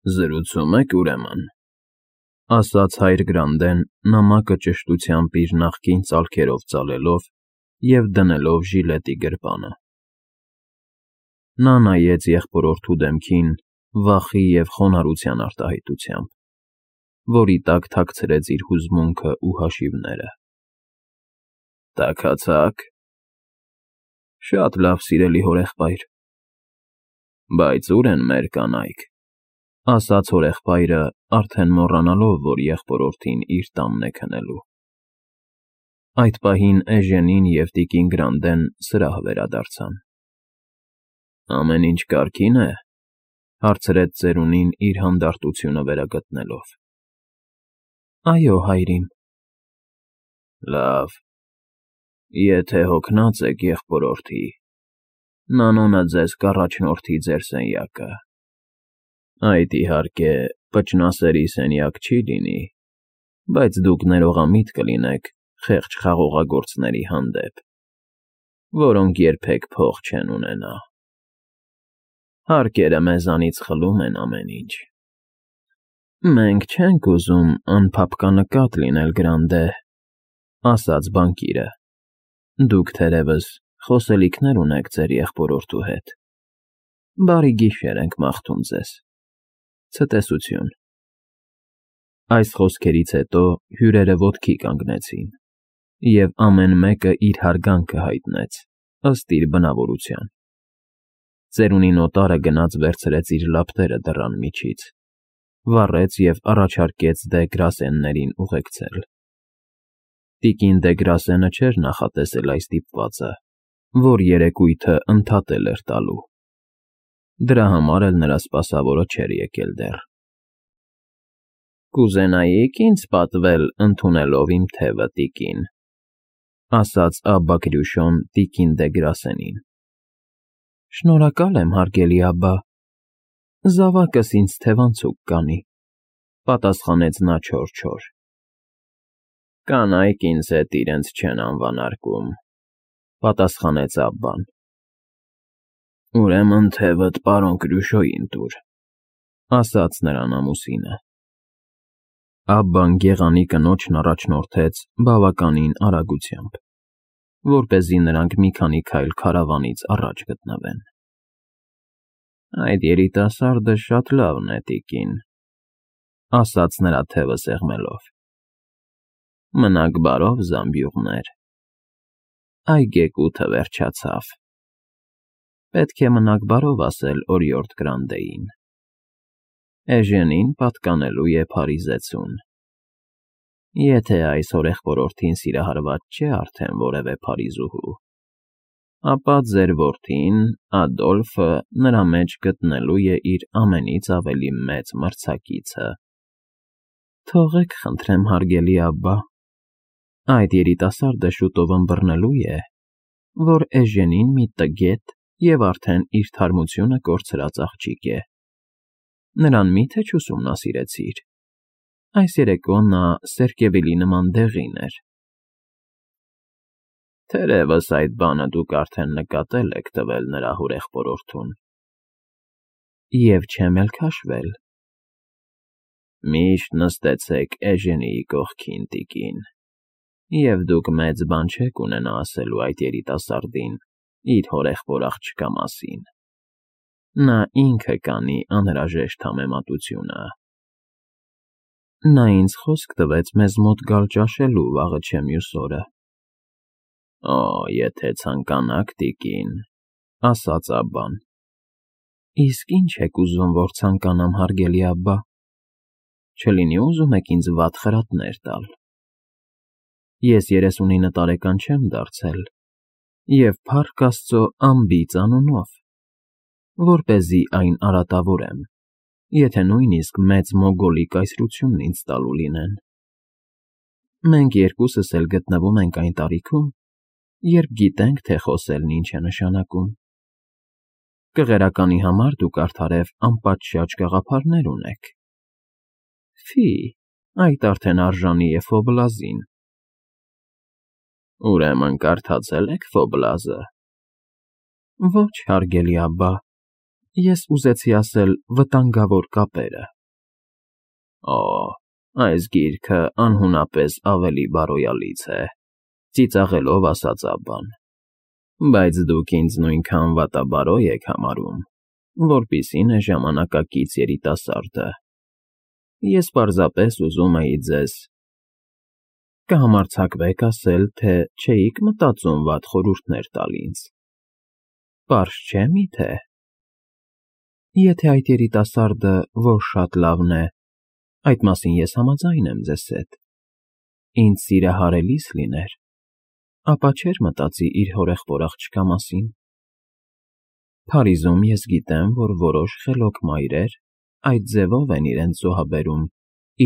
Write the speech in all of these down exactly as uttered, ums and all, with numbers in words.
Զրուցում եք ուրեմն, ասաց հայր Գրանդեն նամակը ճշտությամբ իր նախկին ծալքերով ծալելով և դնելով ժիլետի գրպանը։ Նա նայեց եղբորորդու դեմքին վախի և խոնարհության արտահայտությամբ, որի տակ թաքցրեց իր հուզմունքն ու հաշիվները։ Տաքացա՞ք։ Շատ լավ, սիրելի հորեղբայր։ Բայց ո՞ւր են մեր կանայք, ասաց հորեղբայրը, արդեն մոռանալով, որ եղբորորդին իր տանն է քնելու։ Այդ պահին Էժենին և տիկին Գրանդեն սրահ վերադարձան։ Ամեն ինչ կարգի՞ն է,֊ հարցրեց ծերունին իր հանդարտությունը վերագտնելով։ Այո, հայրիկ։ Լավ, եթե հոգնած եք եղբորորդի, նանոնը ձեզ կառաջնորդի ձեր սենյակը։ Այդ, իհարկե, պճնասերի սենյակ չի լինի, բայց դուք ներողամիտ կլինեք խեղճ խաղողագործների հանդեպ, որոնք երբեք փող չեն ունենա։ Հարկերը մեզանից խլում են ամեն ինչ։ Մենք չենք ուզում անփափկանկատ լինել, Գրանդե,֊ ասաց բանկիրը։ Դուք, թերևս, խոսելիքներ ունեք ձեր եղբորորդու հետ։ Բարի գիշեր ենք մաղթում ձեզ։ Ցտեսություն։ Այս խոսքերից հետո հյուրերը ոտքի կանգնեցին, և ամեն մեկը իր հարգանքը հայտնեց, ըստ իր բնավորության։ Ծերունին օտարը գնաց վերցրեց իր լապտերը դռան միջից, վառեց և առաջարկեց դե Գրասեններին ուղեկցել։ Տիկին դե Գրասենը չէր նախատեսել այս դիպվածը, որ երեկույթը ընդհատել էր տալու։ Դրա համար էլ նրա սպասավորը չէր եկել դեռ։ Կուզենայի՞ք ինձ պատվել ընդունելով իմ թևը, տիկին,֊ ասաց Աբբա Գրյուշոն տիկին դե Գրասենին։ Շնորհակալ եմ, հարգելի Աբբա, զավակս ինձ թևանցուկ կանի,֊ պատասխանեց նա չոր֊չոր։ Կանայք ինձ հետ իրենց չեն անվանարկում,֊ պատասխանեց Աբբան։ Ուրեմն թևդ պարոն Կրյուշոյին տուր,֊ ասաց նրան ամուսինը։ Աբբան գեղանի կնոջն առաջնորդեց բավականին արագությամբ, որպեսզի նրանք մի քանի քայլ քարավանից առաջ գտնվեն։ Այդ երիտասարդը շատ լավն է, տիկին,֊ ասաց նրա թևը սեղմելով։ Մնաք բարով, զամբյուղներ։ Այգեկութը վերջացավ։ Պետք է մնաք բարով ասել օրիորդ Գրանդեին։ Էժենին պատկանելու է Փարիզեցուն։ Եթե այս հորեղբորորդին սիրահարված չէ արդեն որևէ փարիզուհու, ապա ձեր որդին, Ադոլֆը, նրա մեջ գտնելու է իր ամենից ավելի մեծ մրցակիցը։ Թողեք, խնդրեմ, հարգելի Աբբա, այդ երիտասարդը շուտով ըմբռնելու է, որ Էժենին մի տգետ և արդեն իր թարմությունը կորցրած աղջիկ է։ Նրան մի՞թե չուսումնասիրեցիր։ Այս երեկո նա Սերկևիլի նման դեղին էր։ Թերևս այդ բանը դուք արդեն նկատել եք տվել նրա հորեղբորորդուն։ Եվ չեմ էլ քաշվել։ Միշտ նստեցեք Էժենիի կողքին, տիկին, և դուք մեծ բան չեք ունենա ասելու այդ երիտասարդին իր հորեղբոր աղջկա մասին։ Նա ինքը կանի անհրաժեշտ համեմատությունը։ Նա ինձ խոսք տվեց մեզ մոտ գալ ճաշելու վաղը չէ մյուս օրը։ Օ, եթե ցանկանաք, տիկին,֊ ասաց Աբբան։ Իսկ ի՞նչ եք ուզում, որ ցանկանամ, հարգելի Աբբա։ Չլինի ուզում եք ինձ վատ խրատներ տալ։ Ես երեսունինը տարեկան չեմ դարձել, և փառք Աստծո անբիծ անունով, որպեսզի այն արատավորեմ, եթե նույնիսկ մեծ մոգոլի կայսրությունն ինձ տալու լինեն։ Մենք երկուսս էլ գտնվում ենք այն տարիքում, երբ գիտենք, թե խոսելն ինչ է նշանակում։ Կղերականի համար դուք արդարև անպատշաճ գաղափարներ ունեք։ Ֆի, այդ արդեն արժանի է Ֆոբլազին։ Ուրեմն կարդացել եք Ֆոբլազը։ Ոչ, հարգելի Աբբա, Ես ուզեցի ասել վտանգավոր կապերը։ Օ, այս գիրքը անհունապես ավելի բարոյալից է, ծիծաղելով ասաց Աբբան, բայց դուք ինձ նույնքան վատաբարոյ եք համարում, որպիսին է ժամանակակից երիտասարդը։ Ես պարզապես ուզում էի ձեզ… Կհամարձակվեք ասել, թե չէիք մտածում վատ խորհուրդներ տալ ինձ։ Պարզ չէ՞ միթե… Եթե այդ երիտասարդը որ շատ լավն է, այդ մասին ես համաձայն եմ ձեզ հետ, ինձ սիրահարելիս լիներ, ապա չէր մտածի իր հորեղբոր աղջկա մասին։ Փարիզում ես գիտեմ, որ որոշ խելոք մայրեր այդ ձևով են իրենց զոհաբերում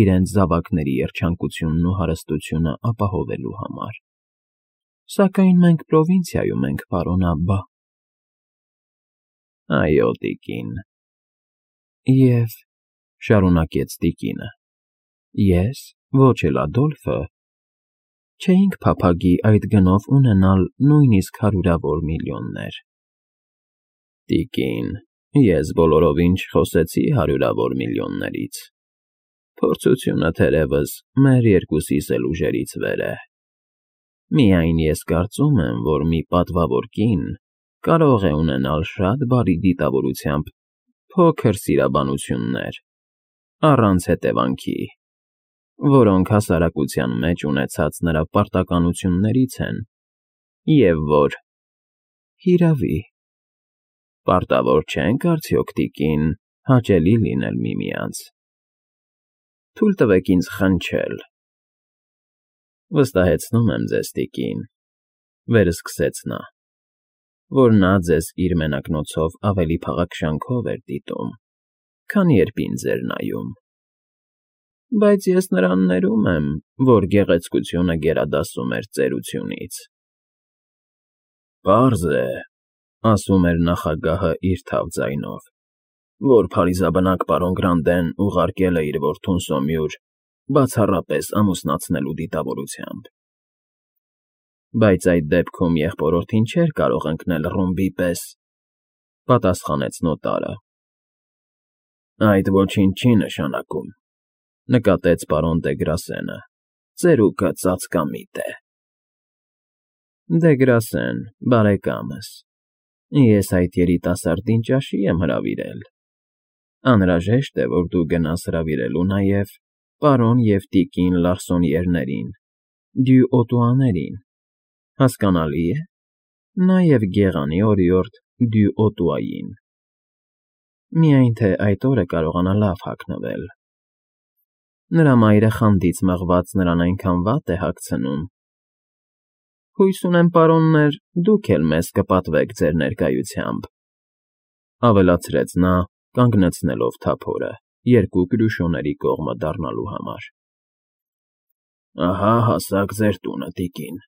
իրենց զավակների երջանկությունն ու հարստությունը ապահովելու համար։ Սակայն մենք պրովինցիայում ենք, պարոն Աբբա։ Այո, տիկին։ Եվ, շարունակեց տիկինը, ես, ոչ էլ Ադոլֆը, չէինք փափագի այդ գնով ունենալ նույնիսկ հարյուրավոր միլիոններ։ Տիկին, ես բոլորովին չխոսեցի հարյուրավոր միլիոններից։ Փորձությունը թերևս մեր երկուսիս էլ ուժերից վեր է։ Միայն ես կարծում եմ, որ մի պատվավոր կին կարող է ունենալ շատ բարի դիտավորությամբ փոքր սիրաբանություններ, առանց հետևանքի, որոնք հասարակության մեջ ունեցած նրա պարտականություններից են, և որ… Հիրավի, պարտավոր չենք արդյոք, տիկին, հաճելի լինել միմյանց։ Թույլ տվեք ինձ խնչել… Վստահեցնում եմ ձեզ, տիկին, վերսկսեց նա, որ նա ձեզ իր մենակնոցով ավելի փաղաքշանքով էր դիտում, քան երբ ինձ էր նայում։ Բայց ես նրան ներում եմ, որ գեղեցկությունը գերադասում էր ծերությունից։ Պարզ է, ասում էր նախագահը իր թավ ձայնով, որ փարիզաբնակ պարոն Գրանտեն ուղարկել է իր որդուն Սոմյուր բացառապես ամուսնացնելու դիտավորությամբ։ Բայց այդ դեպքում եղբորորդին չէր կարող ընկնել ռումբի պես, պատասխանեց նոտարը։ Այդ ոչինչ չի նշանակում, նկատեց պարոն դե Գրասենը, ծերուկը ծածկամիտ է։ Դե Գրասեն, բարեկամս, ես այդ երիտասարդին ճաշի եմ հրավիրել։ Անհրաժեշտ է, որ դու գնաս հրավիրելու նաև պարոն և տիկին Լարսոնիերներին, Դյուօտուաներին, հասկանալի է, նաև գեղանի օրիորդ Դյուօտուային։ Միայն թե այդ օրը կարողանա լավ հագնվել։ Նրա մայրը խանդից մղված նրան այնքան վատ է հագցնում։ Հույս ունեմ, պարոններ, դուք էլ մեզ կպատվեք ձեր ներկայությամբ, ավելացրեց նա, կանգնեցնելով թափորը երկու կրուշոների կողմը դառնալու համար։ Ահա հասակ ձեր տունը, տիկին,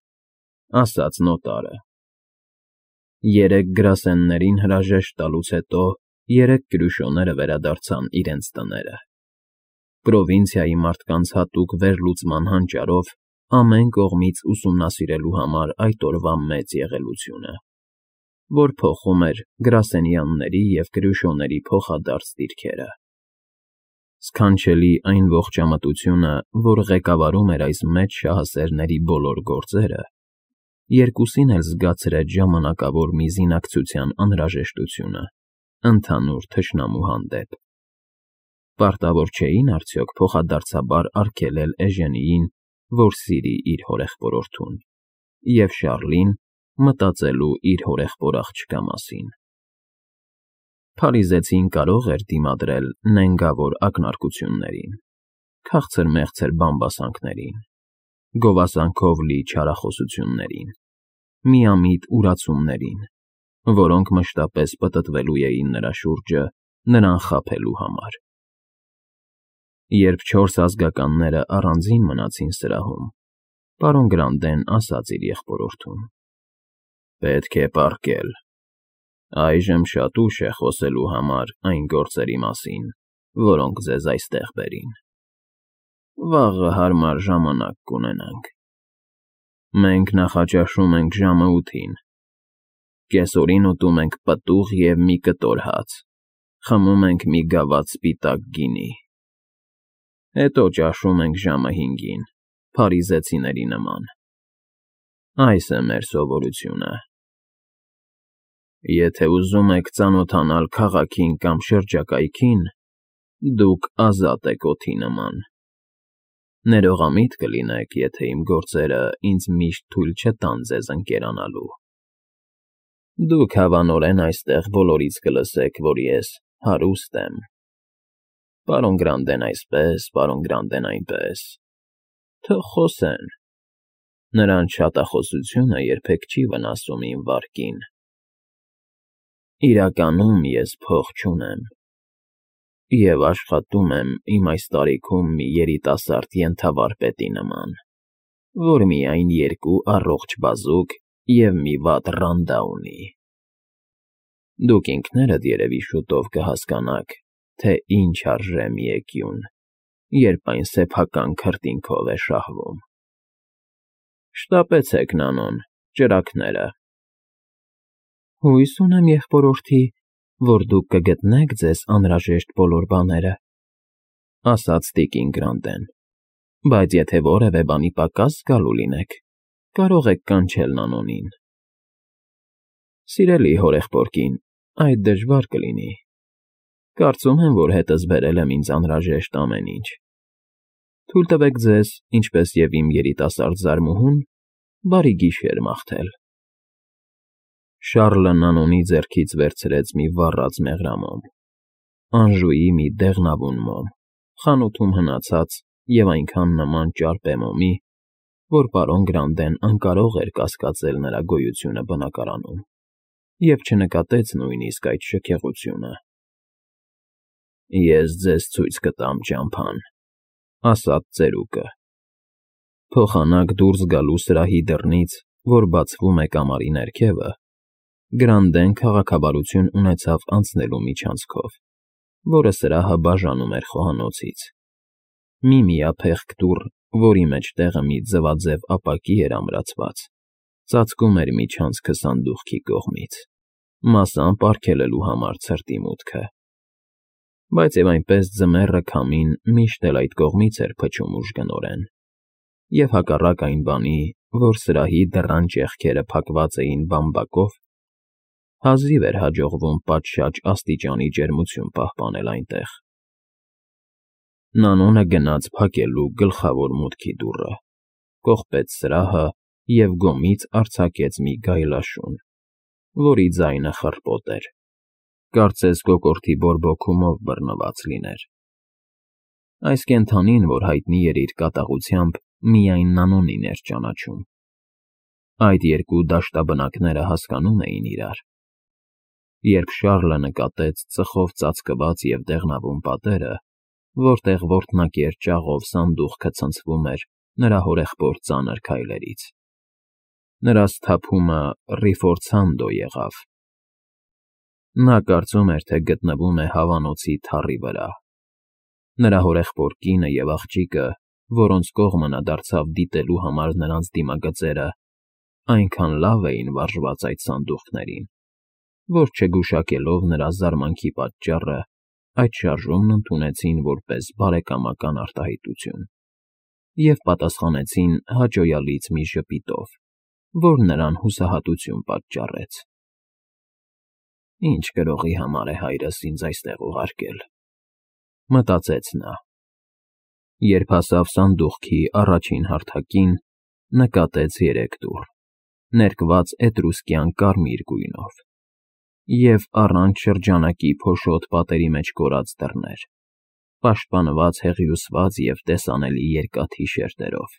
ասաց նոտարը։ Երեք գրասեններին հրաժեշտ տալուց հետո երեք կրուշոները վերադարձան իրենց տները։ Պրովինցիայի մարդկանց հատուկ վերլուծման հանճարով ամեն կողմից ուսումնասիրելու համար այդ օրվա մեծ եղելությունը, որ փոխում էր գրասենյանների և կրուշոների փոխադարձ դիրքերը։ Սքանչելի այն ողջամտությունը, որ ղեկավարում էր այս մեծ շահասերների բոլոր գործերը, երկուսին էլ զգացրեց ժամանակավոր մի զինակցության անհրաժեշտությունը ընդհանուր թշնամու հանդեպ։ Պարտավոր չէին արդյոք փոխադարձաբար արգելել Էժենիին, որ սիրի իր հորեղբորորդուն, և Շառլին մտածելու իր հորեղբոր աղջկա մասին։ Փարիզեցին կարող էր դիմադրել նենգավոր ակնարկություններին, քաղցր֊մեղցր բամբասանքներին, գովասանքով լի չարախոսություններին, միամիտ ուրացումներին, որոնք մշտապես պտտվելու էին նրա շուրջը նրան խաբելու համար։ Երբ չորս ազգականները առանձին մնացին սրահում, պարոն Գրանտեն ասաց իր եղբորորդուն. Պետք է պառկել։ Այժմ շատ ուշ է խոսելու համար այն գործերի մասին, որոնք ձեզ այստեղ բերին։ Վաղը հարմար ժամանակ կունենանք։ Մենք նախաճաշում ենք ժամը ութին, կեսօրին ուտում ենք պտուղ և մի կտոր հաց, Խմում ենք մի գավաթ սպիտակ գինի, հետո ճաշում ենք ժամը հինգին, փարիզեցիների նման։ Այս է մեր սովորությունը։ Եթե ուզում եք ծանոթանալ քաղաքին կամ շրջակայքին, դուք ազատ եք օդի նման։ Ներողամիտ կլինեք, եթե իմ գործերը ինձ միշտ թույլ չտան ձեզ ընկերանալու։ Դուք հավանորեն այստեղ բոլորից կլսեք, որ ես հարուստ եմ։ Պարոն Գրանտեն այսպես, պարոն Գրանտեն այնպես։ Թող խոսեն։ Նրանց շատախոսությունը երբեք չի վնասում իմ վարկին։ Իրականում ես փող չունեմ և աշխատում եմ իմ այս տարիքում մի երիտասարդ ենթավարպետի նման, որ միայն երկու առողջ բազուկ և մի վատ ռանդա ունի։ Դուք ինքներդ երևի շուտով կհասկանաք, թե ինչ արժե մի էկյուն, երբ այն սեփական քրտինքով է շահվում։ Շտապեցեք, Նանոն, ճրագները։ Հույս ունեմ, եղբորորդի, որ դուք կգտնեք ձեզ անհրաժեշտ բոլոր բաները, ասաց տիկին Գրանտեն, բայց եթե որևէ բանի պակաս զգալու լինեք, կարող եք կանչել Նանոնին։ Սիրելի հորեղբորկին, այդ դժվար կլինի։ Կարծում եմ, որ հետս բերել եմ ինձ անհրաժեշտ ամեն ինչ։ Թույլ տվեք ձեզ, ինչպես և իմ երիտասարդ զարմուհուն, բարի գիշեր մաղթել։ Շառլը Նանոնի ձեռքից վերցրեց մի վառած մեղրամոմ, Անժուի մի դեղնավուն մոմ, խանութում հնացած և այնքան նման ճարպե մոմի, որ պարոն Գրանտեն անկարող էր կասկածել նրա գոյությունը բնակարանում և չնկատեց նույնիսկ այդ շքեղությունը։ Ես ձեզ ցույց կտամ ճամփան, ասաց ծերուկը։ Փոխանակ դուրս գալու սրահի դռնից, որ բացվում է կամարի ներքևը, Գրանտեն քաղաքավարություն ունեցավ անցնելու միջանցքով, որը սրահը բաժանում էր խոհանոցից։ Մի միափեղկ դուռ, որի մեջտեղը մի ձվաձև ապակի էր ամրացված, ծածկում էր միջանցքը սանդուղքի կողմից, մասամբ արգելելու համար ցրտի մուտքը։ Բայց և այնպես ձմեռը քամին միշտ էլ այդ կողմից էր փչում ուժգնորեն, և հակառակ այն բանի, որ սրահի դռան ճեղքերը փակված էին բամբակով, հազիվ էր հաջողվում պատշաճ աստիճանի ջերմություն պահպանել այնտեղ։ Նանոնը գնաց փակելու գլխավոր մուտքի դուռը, կողպեց սրահը և գոմից արձակեց մի գայլաշուն, որի ձայնը խռպոտ էր, կարծես կոկորդի բորբոքումով բռնված լիներ։ Այս կենդանին, որ հայտնի էր իր կատաղությամբ, միայն Նանոնին էր ճանաչում։ Այդ երկու դաշտաբնակները հասկանում էին իրար։ Երբ Շառլը նկատեց ծխով ծածկված և դեղնավուն պատերը, որտեղ որտնակեր ճաղով սանդուղքը ցնցվում էր նրա հորեղբոր ծանր քայլերից, նրա սթափումը ռիֆորցանդո եղավ։ Նա կարծում էր, թե գտնվում է հավանոցի թառի վրա։ Նրա հորեղբոր կինը և աղջիկը, որոնց կողմը նա դարձավ դիտելու համար նրանց դիմագծերը, այնքան լավ էին վարժված այդ սանդուղքներին, որ չգուշակելով նրա զարմանքի պատճառը, այդ շարժումն ընդունեցին որպես բարեկամական արտահայտություն և պատասխանեցին հաճոյալից մի ժպիտով, որ նրան հուսահատություն պատճառեց։ Ինչ գրողի համար է հայրս ինձ այստեղ ուղարկել, մտածեց նա։ Երբ հասավ սանդուղքի առաջին հարթակին, նկատեց երեք դուռ, ներկված էտրուսկյան կարմիր գույնով, և առանց շրջանակի փոշոտ պատերի մեջ կորած դռներ, պաշտպանված հեղիուսված և տեսանելի երկաթի շերտերով,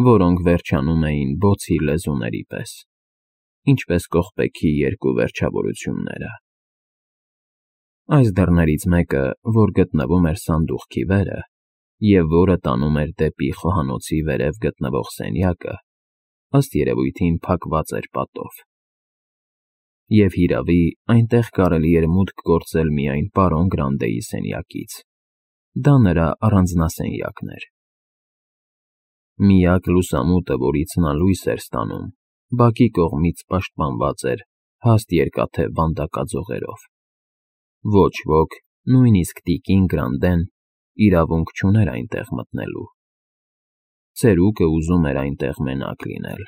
որոնք վերջանում էին բոցի լեզուների պես, ինչպես կողպեքի երկու վերջավորությունները։ Այս դռներից մեկը, որ գտնվում էր սանդուղքի վերը, և որը տանում էր դեպի խոհանոցի վերև գտնվող սենյակը, ըստ երևույթին փակված էր պատով։ Եվ, հիրավի, այնտեղ կարելի էր մուտք գործել միայն պարոն Գրանտեի սենյակից։ Դա նրա առանձնասենյակն էր։ Միակ լուսամուտը, որից նա լույս էր ստանում, բակի կողմից պաշտպանված էր հաստ երկաթե վանդակաձողերով։ Ոչ ոք, նույնիսկ տիկին Գրանդեն, իրավունք չուներ այնտեղ մտնելու։ Ծերուկը ուզում էր այնտեղ մենակ լինել,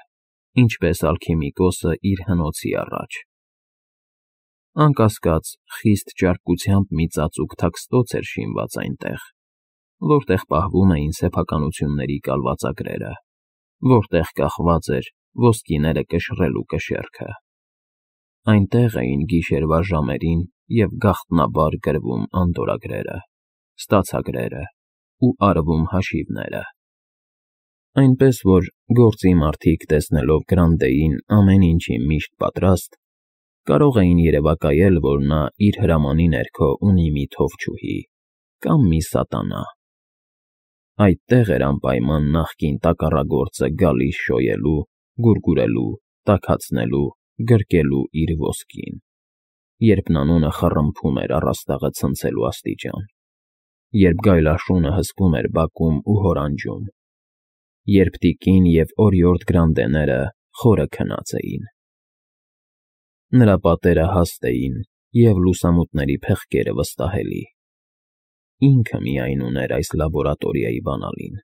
ինչպես ալքիմիկոսը իր հնոցի առաջ։ Անկասկած, խիստ ճարպկությամբ մի ծածուկ թաքստոց էր շինված այնտեղ, որտեղ պահվում էին սեփականությունների կալվածագրերը, որտեղ կախված էր ոսկիները կշռելու կշեռքը։ Այնտեղ էին գիշերվա ժամերին և գաղտնաբար գրվում անդորրագրերը, ստացագրերը ու արվում հաշիվները։ Այնպես որ գործի մարդիկ, տեսնելով Գրանտեին ամեն ինչի միշտ պատրաստ, կարող էին երևակայել, որ նա իր հրամանի ներքո ունի մի թովչուհի կամ մի սատանա։ Այդտեղ էր անպայման նախկին տակառագործը գալիս շոյելու, գուրգուրելու, տաքացնելու, գրկելու իր ոսկին, երբ նանոնը խռմփում էր առաստաղը ցնցելու աստիճան, երբ գայլաշունը հսկում էր բակում ու հորանջում, երբ տիկին և օրիորդ Գրանտեները խորը քնած էին։ Նրա պատերը հաստ էին և լուսամուտների փեղկերը վստահելի։ Ինքը միայն ուներ այս լաբորատորիայի բանալին,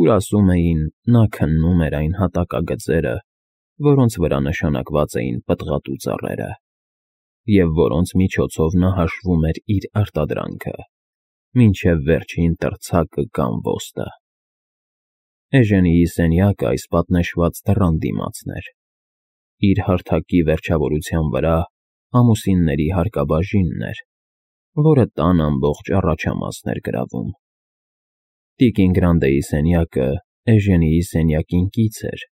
ուր, ասում էին, նա քննում էր այն հատակագծերը, որոնց վրա նշանակված էին պտղատու ծառերը, և որոնց միջոցով նա հաշվում էր իր արտադրանքը, մինչև վերջին տրցակը կամ ոստը։ Էժենիի սենյակը այս պատնեշված դռան դիմացն էր։ Իր հարթակի վերջավորության վրա ամուսինների հարկաբաժինն էր, որը տան ամբողջ առաջամասն էր գրավում։ Տիկին Գրանտեի սենյակը Էժենիի սենյակին կից էր,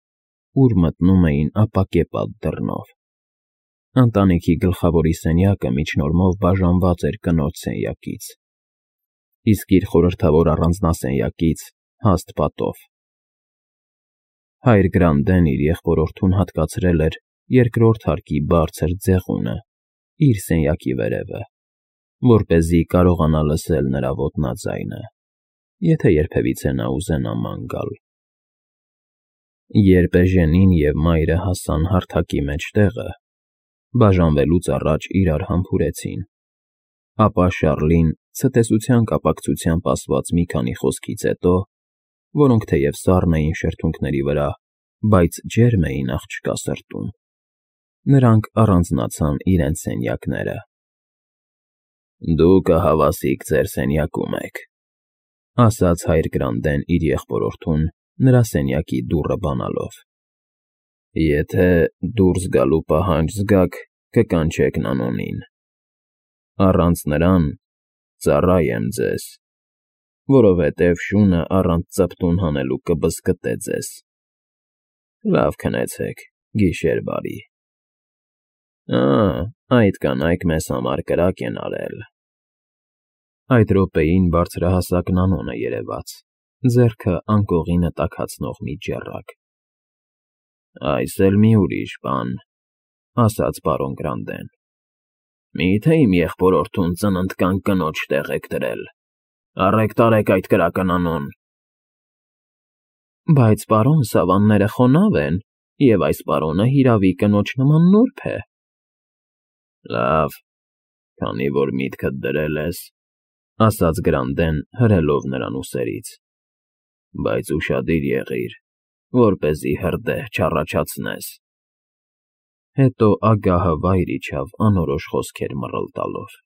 ուր մտնում էին ապակեպատ դռնով։ Ընտանիքի գլխավորի սենյակը միջնորմով բաժանված էր կնոջ սենյակից, իսկ իր խորհրդավոր առանձնասենյակից հաստ պատով։ Հայր Գրանտեն իր եղբորորդուն հատկացրել էր երկրորդ հարկի բարձր ձեղունը իր սենյակի վերևը, որպեսզի կարողանա լսել նրա ոտնաձայնը, եթե երբևիցե նա ուզենա ման գալ։ Երբ Էժենին և մայրը հասան հարթակի մեջտեղը, բաժանվելուց առաջ իրար համբուրեցին, ապա Շառլին ցտեսության կապակցությամբ ասված մի քանի խոսքից հետո, որոնք թեև սառն էին շրթունքների վրա, բայց ջերմ էին աղջկա սրտում, նրանք առանձնացան իրենց սենյակները։ «Դուք ահավասիկ ձեր սենյակում եք», ֊ ասաց հայր Գրանտեն իր եղբորորդուն նրա սենյակի դուռը բանալով։ «Եթե դուրս գալու պահանջ զգաք, կկանչեք Նանոնին։ Առանց նրան ծառա եմ ձեզ, որովհետև շունը առանց ծպտուն հանելու կբզկտե ձեզ։ Լավ քնեցեք, գիշեր բարի»։ «Ա՜, այդ կանայք մեզ համար կրակ են արել»։ Այդ րոպեին բարձրահասակ Նանոնը երևաց, ձեռքը անկողինը տաքացնող մի ջեռակ։ «Այս էլ մի ուրիշ բան», ֊ ասաց պարոն Գրանտեն։ «Մի՞թե իմ եղբորորդուն ծննդկան կնոջ տեղ եք դրել։ Առեք տարեք այդ կրակը, Նանոն»։ «Բայց, պարոն, սավանները խոնավ են, և այս պարոնը հիրավի կնոջ նման նուրբ է»։ «Լավ, քանի որ միտքդ դրել ես», ֊ ասաց Գրանտեն, հրելով նրան ուսերից, «բայց ուշադիր եղիր, որպեսզի հրդեհ չառաջացնես»։ Հետո ագահը վայր իջավ անորոշ խոսքեր մռլտալով։